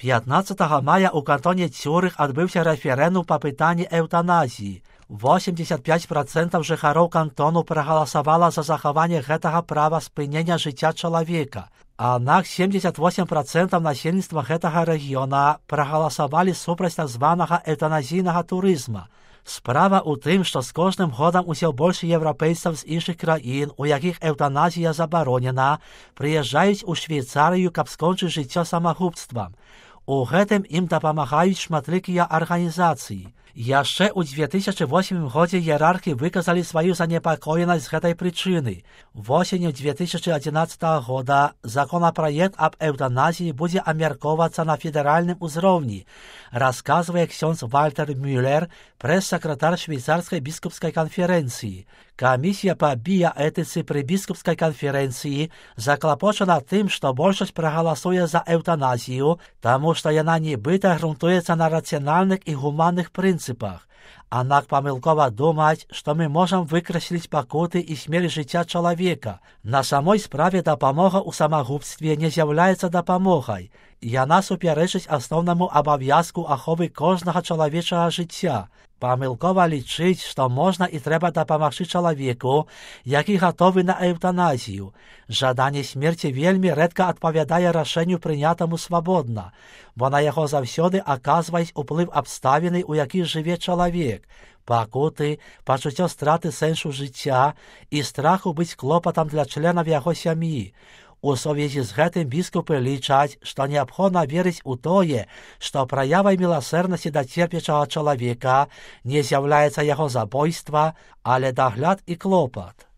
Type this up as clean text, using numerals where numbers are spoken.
15 мая у кантоне Цюрых адбыўся рэферэндум па пытанні эўтаназіі. 85% жыхароў кантону прагаласавала за захаванне гэтага права спынення жыцця чалавека. Аднак 78% насельніцтва гэтага рэгіёна прагаласавалі супраць так званага эўтаназійнага турызма. Справа ў тым, што з кожным годам усё больш еўрапейцаў з іншых краін, у якіх эўтаназія забаронена, прыязджаюць у Швейцарыю, каб скончыць жыццё самагубствам. У гэтым ім дапамагаюць шматлікія арганізацыі. Яшчэ ў 2008 годзе іерархі выказалі сваю занепакоенасць з гэтай прычыны. Восенню 2011 года законапраект аб эўтаназіі будзе абмяркоўвацца на федэральным узроўні, расказвае ксёндз Вальтер Мюллер, прэс-сакратар швейцарскай біскупскай канферэнцыі. Камісія па біяэтыцы пры біскупскай канферэнцыі заклапочана тым, што большасць прагаласуе за эўтаназію, таму што яна нібыта грунтуецца на рацыянальных і гуманных прынцыпах. Аднак памылкова думаць, што мы можам выкрасліць пакуты і смерць жыцця чалавека. На самой справе дапамога ў самагубстве не з'яўляецца дапамогай. Яна супярэчыць асноўнаму абавязку аховы кожнага чалавечага жыцця. Памылкова лічыць, што можна і трэба дапамагчы чалавеку, які гатовы на эўтаназію. Жаданне смерці вельмі рэдка адпавядае рашэнню прынятаму свабодна, бо на яго заўсёды аказваюць уплыў абставіны, у якіх жыве чалавек, пакуты, пачуццё страты сэнсу жыцця і страху быць клопатам для членаў яго сям'і. У сувязі з гэтым біскупы лічаць, што неабходна верыць у тое, што праявай міласэрнасці да церпячага чалавека не з'яўляецца яго забойства, але дагляд і клопат.